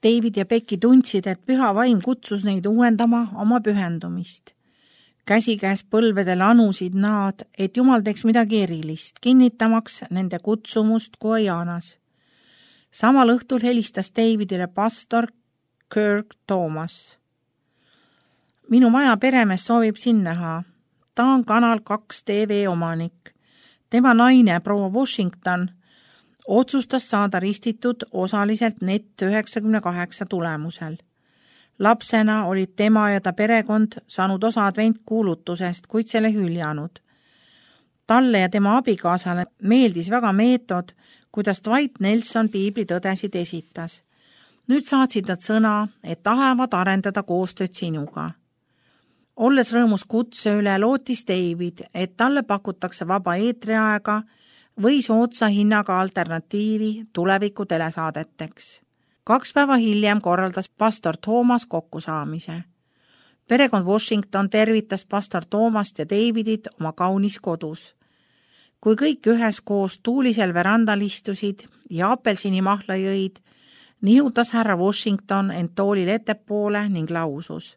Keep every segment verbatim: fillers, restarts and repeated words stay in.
David ja Becky tundsid, et püha vaim kutsus neid uuendama oma pühendumist. Käsikäes põlvedel anusid nad, et Jumal teeks midagi erilist, kinnitamaks nende kutsumust Guajanas. Samal õhtul helistas Davidile pastor Kirk Thomas. Minu maja peremees soovib sind näha. Ta on Kanal kaks T V omanik. Tema naine, proua Washington, otsustas saada ristitud osaliselt net üheksakümne kaheksa tulemusel. Lapsena olid tema ja ta perekond saanud osa adventkuulutusest, kuid selle hüljanud. Talle ja tema abikaasale meeldis väga meetod, kuidas Dwight Nelson piiblitõdesid esitas. Nüüd saatsid nad sõna, et tahavad arendada koostööd sinuga. Olles rõõmus kutse üle, lootis David, et talle pakutakse vaba eetriaega või soodsa hinnaga alternatiivi tuleviku telesaadeteks. Kaks päeva hiljem korraldas pastor Thomas kokkusaamise. Perekond Washington tervitas pastor Thomast ja Davidit oma kaunis kodus. Kui kõik üheskoos tuulisel verandal istusid ja apelsinimahla jõid, nihutas härra Washington end toolil ettepoole ning lausus.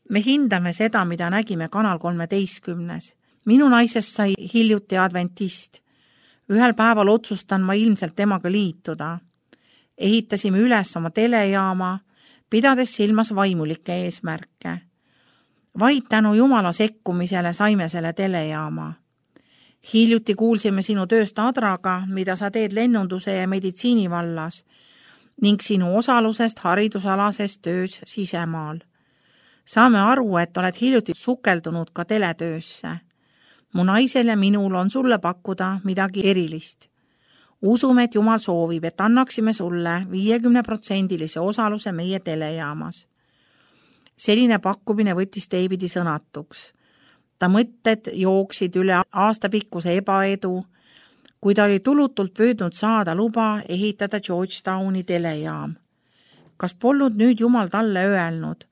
Me hindame seda, mida nägime Kanal kolmeteistkümnes. Minu naisest sai hiljuti adventist. Ühel päeval otsustan ma ilmselt temaga liituda. Ehitasime üles oma telejaama, pidades silmas vaimulikke eesmärke. Vaid tänu Jumala sekkumisele saime selle telejaama. Hiljuti kuulsime sinu tööst Adraga, mida sa teed lennunduse ja meditsiini vallas, ning sinu osalusest haridusalases töös sisemaal. Saame aru, et oled hiljuti sukeldunud ka teletöösse. Mu naisel ja minul on sulle pakkuda midagi erilist. Usume, et Jumal soovib, et annaksime sulle viiekümne protsendilise osaluse meie telejaamas. Selline pakkumine võttis Davidi sõnatuks. Ta mõtted jooksid üle aastapikkuse ebaedu, kui ta oli tulutult püüdnud saada luba ehitada Georgetowni telejaam. Kas polnud nüüd Jumal talle öelnud?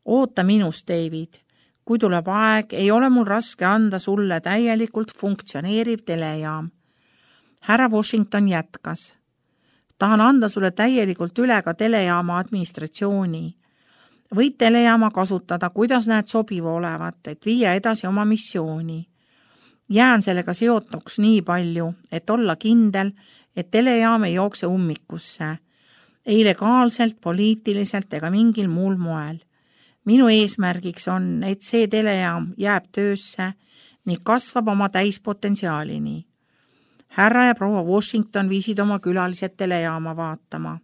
Oota minust, David. Kui tuleb aeg, ei ole mul raske anda sulle täielikult funktsioneeriv telejaam. Härra Washington jätkas. Tahan anda sulle täielikult üle ka telejaama administratsiooni. Võid telejaama kasutada, kuidas näed sobiva olevat, et viia edasi oma missiooni. Jään sellega seotuks nii palju, et olla kindel, et telejaam ei jookse ummikusse. Ei legaalselt, poliitiliselt ega mingil muul moel. Minu eesmärgiks on, et see telejaam jääb töösse ning kasvab oma täispotentsiaalini. Härra ja proua Washington viisid oma külalised telejaama vaatama.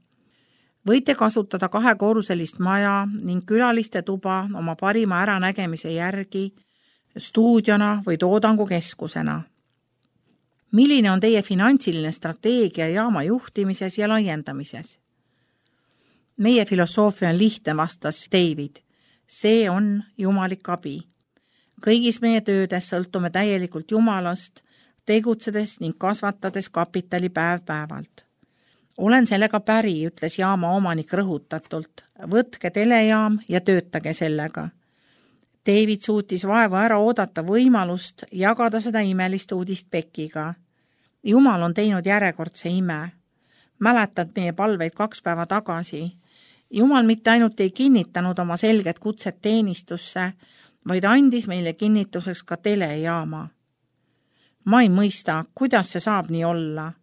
Võite kasutada kahekorruselist maja ning külaliste tuba oma parima äranägemise järgi, stuudiona või toodangukeskusena. Milline on teie finantsiline strateegia jaama juhtimises ja laiendamises? Meie filosoofia on lihtne, vastas David. See on jumalik abi. Kõigis meie töödes sõltume täielikult Jumalast, tegutsedes ning kasvatades kapitali päev päevalt. Olen sellega päri, ütles jaama omanik rõhutatult. Võtke telejaam ja töötage sellega. David suutis vaevu ära oodata võimalust jagada seda imelist uudist Beckiga. Jumal on teinud järjekordse ime. Mäletad meie palveid kaks päeva tagasi. Jumal mitte ainult ei kinnitanud oma selget kutset teenistusse, vaid andis meile kinnituseks ka telejaama. Ma ei mõista, kuidas see saab nii olla.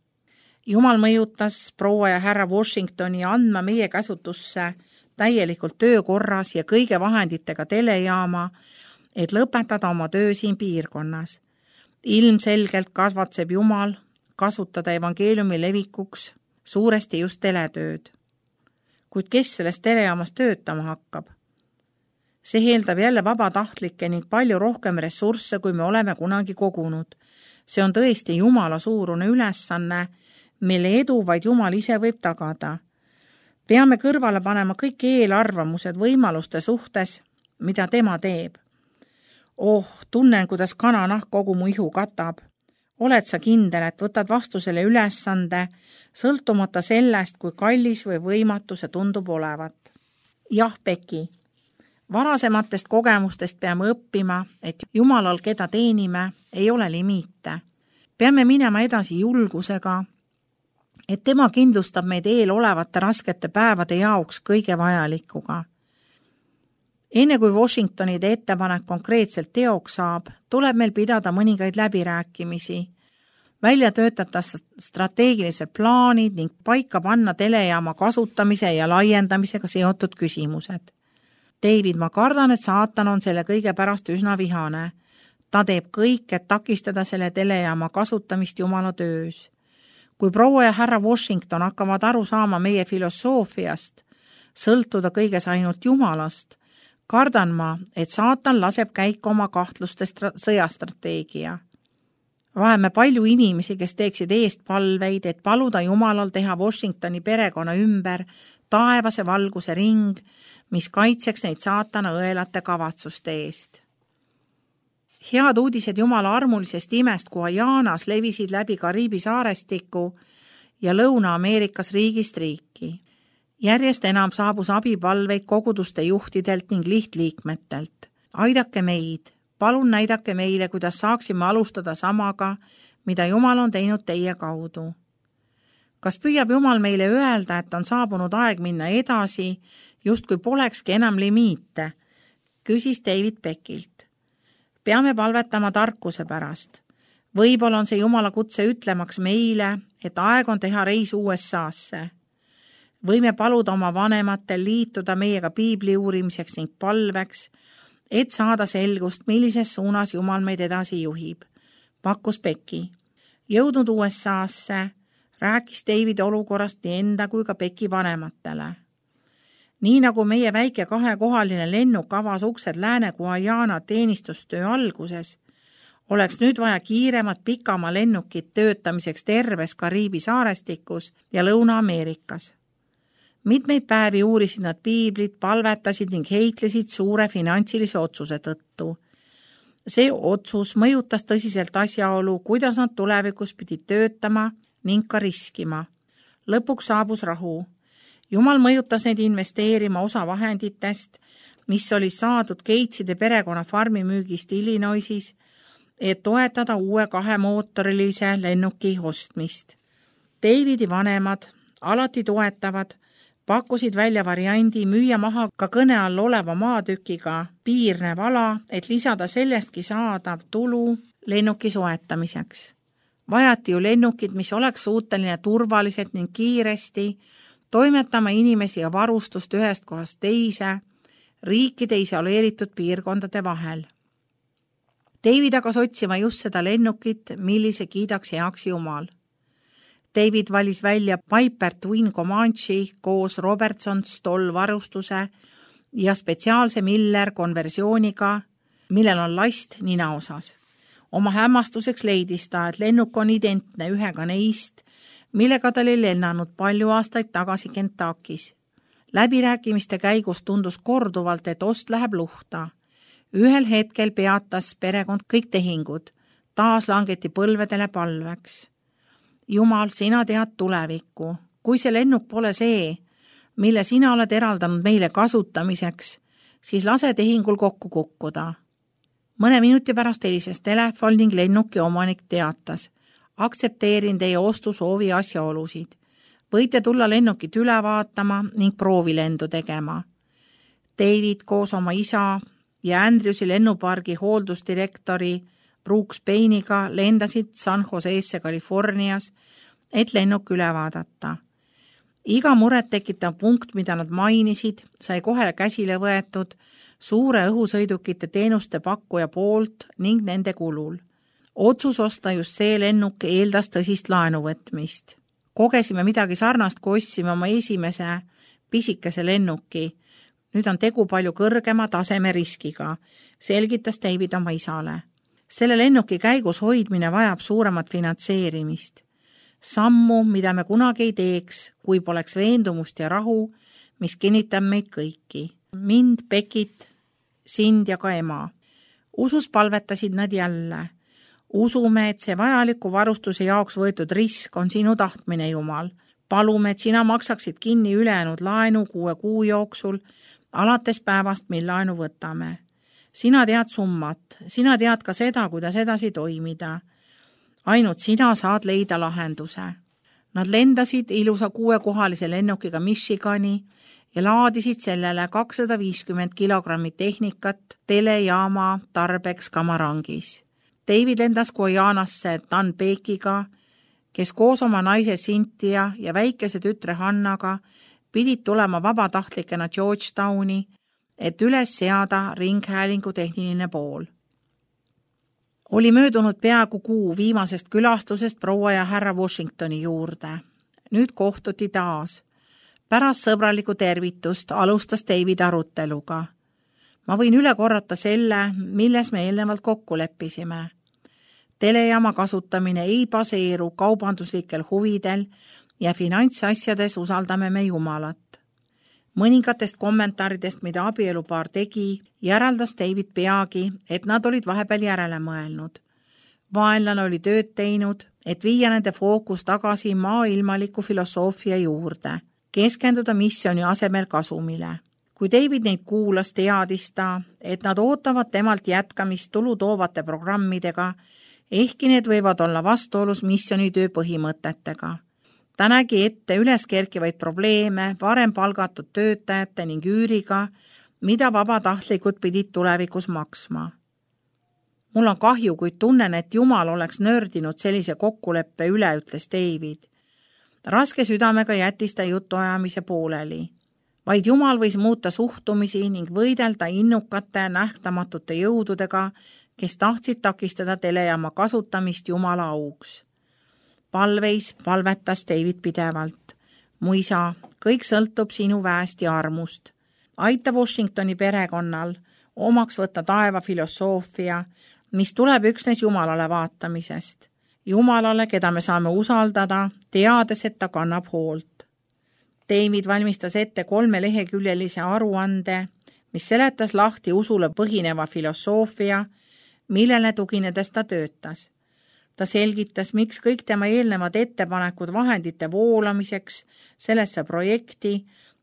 Jumal mõjutas proua ja härra Washingtoni andma meie käsutusse täielikult töökorras ja kõige vahenditega telejaama, et lõpetada oma töö siin piirkonnas. Ilmselgelt kasvatseb Jumal kasutada evangeeliumi levikuks suuresti just teletööd. Kuid kes sellest telejaamas töötama hakkab? See eeldab jälle vabatahtlikke ning palju rohkem ressursse, kui me oleme kunagi kogunud. See on tõesti Jumala suurune ülesanne, mille edu vaid Jumal ise võib tagada. Peame kõrvale panema kõik eelarvamused võimaluste suhtes, mida tema teeb. Oh, tunnen, kuidas kananahk kogu mu ihu katab. Oled sa kindel, et võtad vastu selle ülesande, sõltumata sellest, kui kallis või võimatu see tundub olevat? Jah, Becky. Varasematest kogemustest peame õppima, et Jumalal, keda teenime, ei ole limiite. Peame minema edasi julgusega, et tema kindlustab meid eel olevate raskete päevade jaoks kõige vajalikuga. Enne kui Washingtonide ettepanek konkreetselt teoks saab, tuleb meil pidada mõningaid läbirääkimisi, välja töötada strateegilised plaanid ning paika panna telejaama kasutamise ja laiendamisega seotud küsimused. David, ma kardan, et saatan on selle kõige pärast üsna vihane. Ta teeb kõik, et takistada selle telejaama kasutamist Jumala töös. Kui proua ja härra Washington hakkavad aru saama meie filosoofiast, sõltuda kõiges ainult Jumalast, kardan ma, et saatan laseb käiku oma kahtluste sõjastrateegia. Vaheme palju inimesi, kes teeksid eest palveid, et paluda Jumalal teha Washingtoni perekonna ümber taevase valguse ring, mis kaitseks neid saatana õelate kavatsuste eest. Head uudised Jumala armulisest imest Guajanas levisid läbi Kariibi saarestiku ja Lõuna-Ameerikas riigist riiki. Järjest enam saabus abipalveid koguduste juhtidelt ning lihtliikmetelt. Aidake meid, palun näidake meile, kuidas saaksime alustada samaga, mida Jumal on teinud teie kaudu. Kas püüab Jumal meile öelda, et on saabunud aeg minna edasi, justkui polekski enam limiite, küsis David Beckilt. Peame palvetama tarkuse pärast. Võib-olla on see Jumala kutse ütlemaks meile, et aeg on teha reis U S A-sse. Võime paluda oma vanematel liituda meiega piibli uurimiseks ning palveks, et saada selgust, millises suunas Jumal meid edasi juhib, pakkus Becki. Jõudnud U S A-sse, rääkis David olukorrast nii enda kui ka Becki vanematele. Nii nagu meie väike kahekohaline lennuk avas uksed Lääne Guajana teenistustöö alguses, oleks nüüd vaja kiiremat pikama lennukit töötamiseks terves Kariibi saarestikus ja Lõuna-Ameerikas. Mitmeid päevi uurisid nad piiblit, palvetasid ning heitlesid suure finantsilise otsuse tõttu. See otsus mõjutas tõsiselt asjaolu, kuidas nad tulevikus pidid töötama ning ka riskima. Lõpuks saabus rahu. Jumal mõjutas neid investeerima osa vahenditest, mis oli saadud Gateside perekonna farmi müügist Illinoisis, et toetada uue kahemootorilise lennuki ostmist. Davidi vanemad, alati toetavad, pakkusid välja variandi müüa maha ka kõne all oleva maatükiga piirnev ala, et lisada sellestki saadav tulu lennuki soetamiseks. Vajati ju lennukid, mis oleks suuteline turvaliselt ning kiiresti toimetama inimesi ja varustust ühest kohast teise, riikide isoleeritud piirkondade vahel. David aga otsima just seda lennukit, millise kiidaks heaks Jumal. David valis välja Piper Twin Comanche koos Robertson Stoll varustuse ja spetsiaalse Miller konversiooniga, millel on last nina osas. Oma hämmastuseks leidis ta, et lennuk on identne ühega neist, millega ta oli lennanud palju aastaid tagasi Kentuckis. Läbirääkimiste käigus tundus korduvalt, et ost läheb luhta. Ühel hetkel peatas perekond kõik tehingud, taas langeti põlvedele palveks. Jumal, sina tead tulevikku. Kui see lennuk pole see, mille sina oled eraldanud meile kasutamiseks, siis lase tehingul kokku kukkuda. Mõne minuti pärast helises telefon ning lennuki omanik teatas. Aktsepteerin teie ostusoovi asjaolusid. Võite tulla lennukit üle vaatama ning proovilendu tegema. David koos oma isa ja Andrewsi lennupargi hooldusdirektori Brooks Payne'iga lendasid San Joseesse Californias, et lennuk üle vaadata. Iga muret tekitav punkt, mida nad mainisid, sai kohe käsile võetud suure õhusõidukite teenuste pakkuja poolt ning nende kulul. Otsus osta just see lennuk eeldas tõsist laenuvõtmist. Kogesime midagi sarnast, kui ostsime oma esimese pisikese lennuki. Nüüd on tegu palju kõrgema taseme riskiga, selgitas David oma isale. Selle lennuki käigus hoidmine vajab suuremat finantseerimist. Sammu, mida me kunagi ei teeks, kui poleks veendumust ja rahu, mis kinnitab meid kõiki. Mind, Beckit, sind ja ka ema. Usus palvetasid nad jälle. Usume, et see vajaliku varustuse jaoks võetud risk on sinu tahtmine, Jumal. Palume, et sina maksaksid kinni ülejäänud laenu kuue kuu jooksul, alates päevast, mil laenu võtame. Sina tead summat, sina tead ka seda, kuidas edasi toimida. Ainult sina saad leida lahenduse. Nad lendasid ilusa kuuekohalise lennukiga Michigani ja laadisid sellele kakssada viiskümmend kilogrammi tehnikat telejaama tarbeks Kamarangis. David lendas Guyanasse Dan Beekiga, kes koos oma naise Cynthia ja väikese tütre Hannaga pidid tulema vabatahtlikena Georgetowni, et üles seada ringhäälingu tehniline pool. Oli möödunud peaaegu kuu viimasest külastusest proua ja härra Washingtoni juurde. Nüüd kohtuti taas. Pärast sõbralikku tervitust alustas David aruteluga. Ma võin üle korrata selle, milles me eelnevalt kokku leppisime. Telejaama kasutamine ei baseeru kaubanduslikel huvidel ja finantsasjades usaldame me Jumalat. Mõningatest kommentaaridest, mida abielupaar tegi, järeldas David peagi, et nad olid vahepeal järele mõelnud. Vaenlane oli tööd teinud, et viia nende fookus tagasi maailmaliku filosoofia juurde, keskenduda missiooni asemel kasumile. Kui David neid kuulas, teadis ta, et nad ootavad temalt jätkamist tulu toovate programmidega, ehkki need võivad olla vastuolus missioonitöö põhimõtetega. Ta nägi ette üleskerkivaid probleeme varem palgatud töötajate ning üüriga, mida vabatahtlikud pidid tulevikus maksma. Mul on kahju, kuid tunnen, et Jumal oleks nördinud sellise kokkuleppe üle, ütles David. Raske südamega jättis ta jutuajamise pooleli. Vaid Jumal võis muuta suhtumisi ning võidelda innukate nähtamatute jõududega, kes tahtsid takistada telejaama kasutamist Jumala auks. Palveis palvetas David pidevalt. Mu isa, kõik sõltub sinu väest ja armust. Aita Washingtoni perekonnal omaks võtta taeva filosoofia, mis tuleb üksnes Jumalale vaatamisest. Jumalale, keda me saame usaldada, teades, et ta kannab hoolt. David valmistas ette kolme leheküljelise aruande, mis seletas lahti usule põhineva filosoofia, millele tuginedes ta töötas. Ta selgitas, miks kõik tema eelnevad ettepanekud vahendite voolamiseks sellesse projekti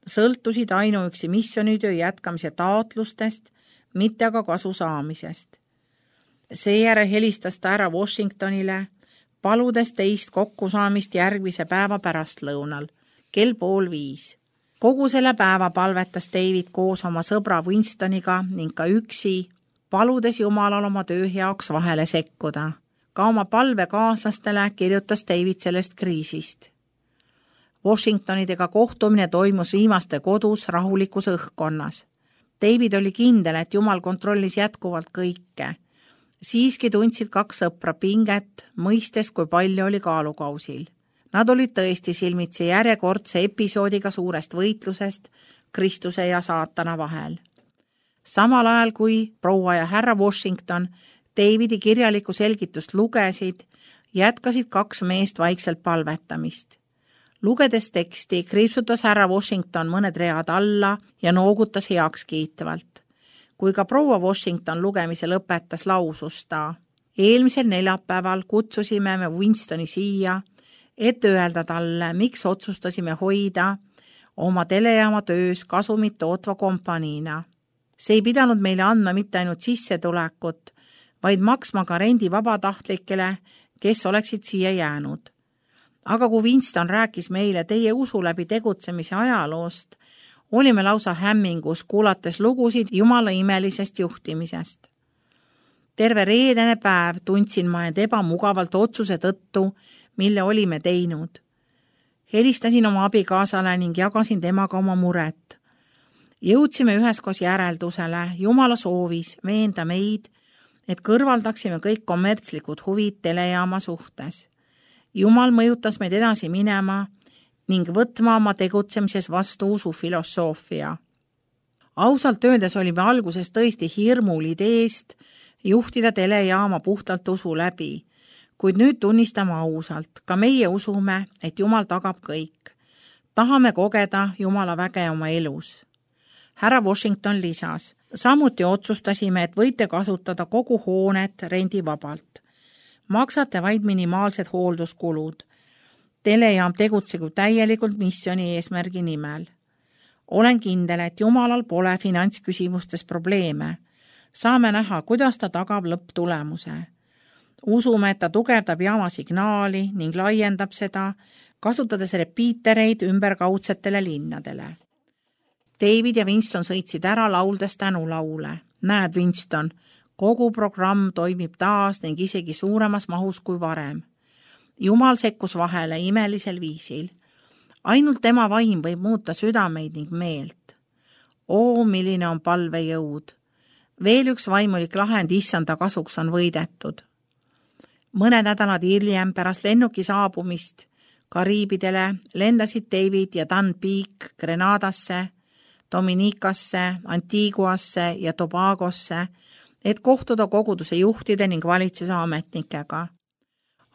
sõltusid ainuüksi missioonitöö jätkamise taotlustest, mitte aga kasu saamisest. Seejärel helistas ta ära Washingtonile, paludes teist kokkusaamist järgmise päeva pärastlõunal, kell pool viis. Kogu selle päeva palvetas David koos oma sõbra Winstoniga ning ka üksi, paludes Jumalal oma töö heaks vahele sekkuda. Ka oma palvekaaslastele kirjutas David sellest kriisist. Washingtonidega kohtumine toimus viimaste kodus rahulikus õhkkonnas. David oli kindel, et Jumal kontrollis jätkuvalt kõike. Siiski tundsid kaks sõpra pinget, mõistes, kui palju oli kaalukausil. Nad olid tõesti silmitsi järjekordse episoodiga suurest võitlusest Kristuse ja saatana vahel. Samal ajal kui proua ja härra Washington Davidi kirjalikku selgitust lugesid, jätkasid kaks meest vaikselt palvetamist. Lugedes teksti kriipsutas härra Washington mõned read alla ja noogutas heaks kiitvalt. Kui ka proua Washington lugemise lõpetas, lausus ta. Eelmisel neljapäeval kutsusime me Winstoni siia, et öelda talle, miks otsustasime hoida oma telejaama töös kasumit tootva kompaniina. See ei pidanud meile andma mitte ainult sissetulekut, vaid maksma ka rendi vabatahtlikele, kes oleksid siia jäänud. Aga kui Winston rääkis meile teie usu läbi tegutsemise ajaloost, olime lausa hämmingus, kuulates lugusid Jumala imelisest juhtimisest. Terve reedene päev tundsin ma end ebamugavalt otsuse tõttu, mille olime teinud. Helistasin oma abikaasale ning jagasin temaga oma muret. Jõudsime üheskoos järeldusele, Jumala soovis veenda meid, et kõrvaldaksime kõik kommertslikud huvid telejaama suhtes. Jumal mõjutas meid edasi minema ning võtma oma tegutsemises vastu usu filosoofia. Ausalt öeldes olime alguses tõesti hirmul ideest juhtida telejaama puhtalt usu läbi, kuid nüüd tunnistame ausalt, ka meie usume, et Jumal tagab kõik. Tahame kogeda Jumala väge oma elus. Härra Washington lisas, samuti otsustasime, et võite kasutada kogu hoonet rendivabalt. Maksate vaid minimaalsed hoolduskulud. Telejaam tegutsegu täielikult missiooni eesmärgi nimel. Olen kindel, et Jumalal pole finantsküsimustes probleeme. Saame näha, kuidas ta tagab lõpptulemuse. Usume, et ta tugevdab jaama signaali ning laiendab seda kasutades repiitereid ümberkaudsetele linnadele. David ja Winston sõitsid ära lauldes tänulaule. Näed, Winston, kogu programm toimib taas ning isegi suuremas mahus kui varem. Jumal sekkus vahele imelisel viisil. Ainult tema vaim võib muuta südameid ning meelt. Oo, milline on palvejõud! Veel üks vaimulik lahend issanda kasuks on võidetud. Mõned nädalad hiljem pärast lennuki saabumist Kariibidele lendasid David ja Dan Peak Grenadasse, Dominikasse, Antiguasse ja Tobagosse, et kohtuda koguduse juhtide ning valitsuse ametnikega.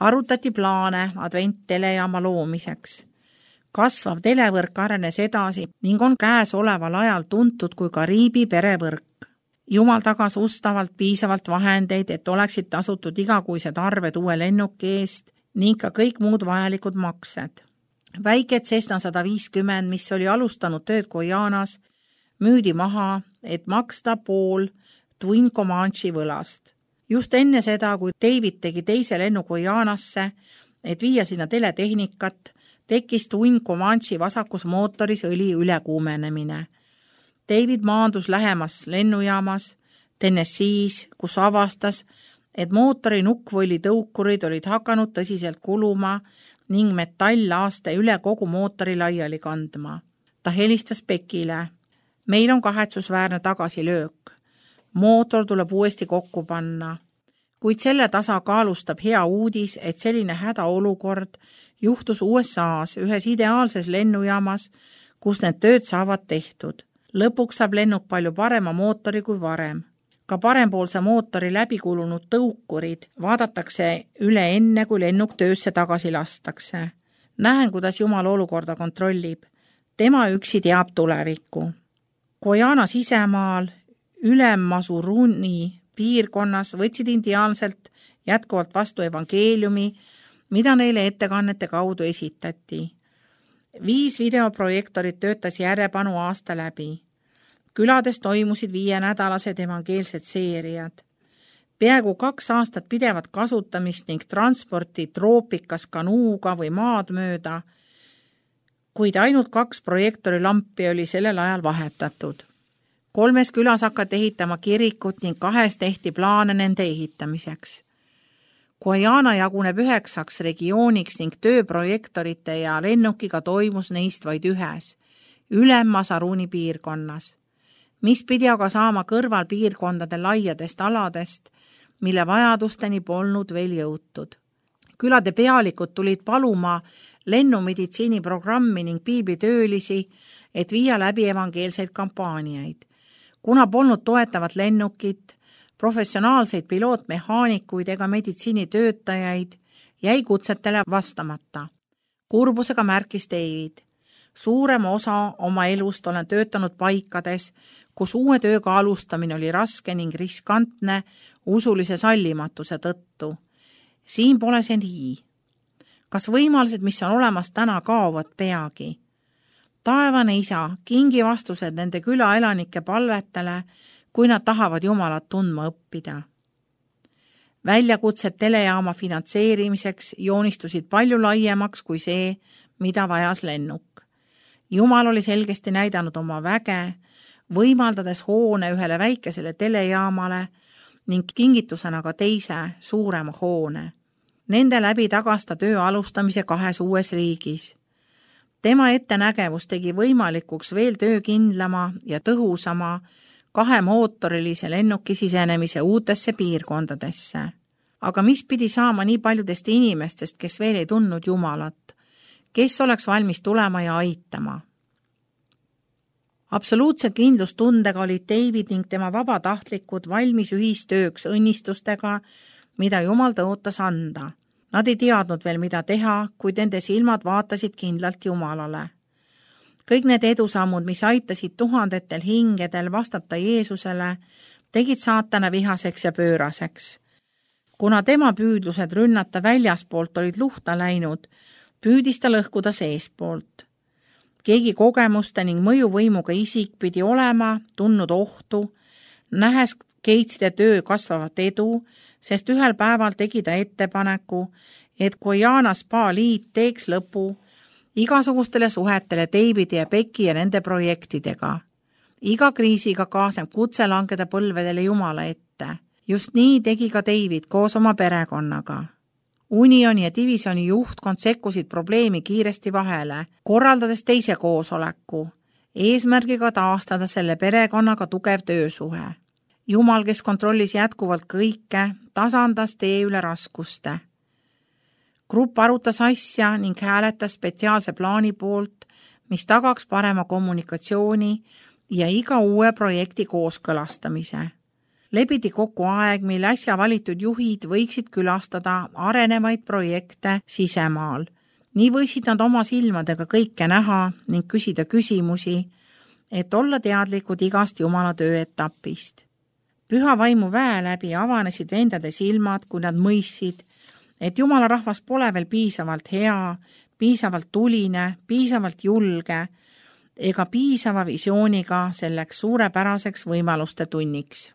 Arutati plaane advent-telejaama loomiseks. Kasvav televõrk arenes edasi ning on käes oleval ajal tuntud kui Kariibi perevõrk. Jumal tagas ustavalt piisavalt vahendeid, et oleksid tasutud igakuised arved uue lennuki eest ning ka kõik muud vajalikud maksed. Väike Cessna sada viiskümmend, mis oli alustanud tööd Guyanas, müüdi maha, et maksta pool Twin Comanche võlast. Just enne seda, kui David tegi teise lennu Guyanasse, et viia sinna teletehnikat, tekkis Twin Comanche vasakus mootoris õli ülekuumenemine. David maandus lähemas lennujaamas Tennessee's, kus avastas, et mootori nukkvõli tõukurid olid hakanud tõsiselt kuluma ning metalllaaste üle kogu mootori laiali kandma. Ta helistas Beckile. Meil on kahetsusväärne tagasilöök. Mootor tuleb uuesti kokku panna. Kuid selle tasakaalustab hea uudis, et selline hädaolukord juhtus U S A-s ühes ideaalses lennujaamas, kus need tööd saavad tehtud. Lõpuks saab lennuk palju parema mootori kui varem. Ka parempoolse mootori läbikulunud tõukurid vaadatakse üle enne, kui lennuk töösse tagasi lastakse. Näen, kuidas Jumal olukorda kontrollib. Tema üksi teab tulevikku. Guyana sisemaal Ülem-Masuruni piirkonnas võtsid indiaanselt jätkuvalt vastu evangeeliumi, mida neile ettekannete kaudu esitati. Viis videoprojektorid töötas järjepanu aasta läbi. Külades toimusid viienädalased evangeelsed seeriad. Peaaegu kaks aastat pidevat kasutamist ning transporti troopikas kanuuga või maad mööda, kuid ainult kaks projektori lampi oli sellel ajal vahetatud. Kolmes külas hakati ehitama kirikut ning kahes tehti plaane nende ehitamiseks. Guyana jaguneb üheksaks regiooniks ning tööprojektorite ja lennukiga toimus neist vaid ühes, Ülem-Masuruni piirkonnas, mis pidi aga saama kõrval piirkondade laiadest aladest, mille vajadusteni polnud veel jõutud. Külade pealikud tulid paluma lennumeditsiiniprogrammi ning piiblitöölisi, et viia läbi evangeelseid kampaaniaid. Kuna polnud toetavat lennukit, professionaalseid pilootmehaanikuid ega meditsiinitöötajaid, jäi kutsetele vastamata. Kurbusega märkis David. Suurem osa oma elust olen töötanud paikades, kus uue tööga alustamine oli raske ning riskantne usulise sallimatuse tõttu. Siin pole see nii. Kas võimalused, mis on olemas täna, kaovad peagi? Taevane isa, kingi vastused nende külaelanike palvetele, kui nad tahavad Jumalat tundma õppida. Väljakutsed telejaama finantseerimiseks joonistusid palju laiemaks kui see, mida vajas lennuk. Jumal oli selgesti näidanud oma väge, võimaldades hoone ühele väikesele telejaamale ning kingitusena ka teise suurema hoone. Nende läbi tagasta töö alustamise kahes uues riigis. Tema ettenägevus tegi võimalikuks veel töökindlama ja tõhusama kahemootorilise lennuki sisenemise uutesse piirkondadesse. Aga mis pidi saama nii paljudest inimestest, kes veel ei tundnud Jumalat? Kes oleks valmis tulema ja aitama? Absoluutse kindlustundega olid David ning tema vabatahtlikud valmis ühistööks õnnistustega, mida Jumal tõotas anda. Nad ei teadnud veel, mida teha, kuid nende silmad vaatasid kindlalt Jumalale. Kõik need edusammud, mis aitasid tuhandetel hingedel vastata Jeesusele, tegid saatana vihaseks ja pööraseks. Kuna tema püüdlused rünnata väljaspoolt olid luhta läinud, püüdis ta lõhkuda seespoolt. Keegi kogemuste ning mõjuvõimuga isik pidi olema tundnud ohtu, nähes Gateside töö kasvavat edu, sest ühel päeval tegi ta ettepaneku, et Guyana Spa liit teeks lõpu igasugustele suhetele Davidi ja Becky ja nende projektidega. Iga kriisiga kaasneb kutse langeda põlvedele Jumala ette. Just nii tegi ka David koos oma perekonnaga. Unioni ja divisioni juhtkond sekkusid probleemi kiiresti vahele, korraldades teise koosoleku, eesmärgiga taastada selle perekonnaga tugev töösuhe. Jumal, kes kontrollis jätkuvalt kõike, tasandas tee üle raskuste. Grupp arutas asja ning hääletas spetsiaalse plaani poolt, mis tagaks parema kommunikatsiooni ja iga uue projekti kooskõlastamise. Lepiti kokku aeg, mil äsja valitud juhid võiksid külastada arenevaid projekte sisemaal. Nii võisid nad oma silmadega kõike näha ning küsida küsimusi, et olla teadlikud igast Jumala tööetapist. Püha vaimu väe läbi avanesid vendade silmad, kui nad mõistsid, et Jumala rahvas pole veel piisavalt hea, piisavalt tuline, piisavalt julge ega piisava visiooniga selleks suurepäraseks võimaluste tunniks.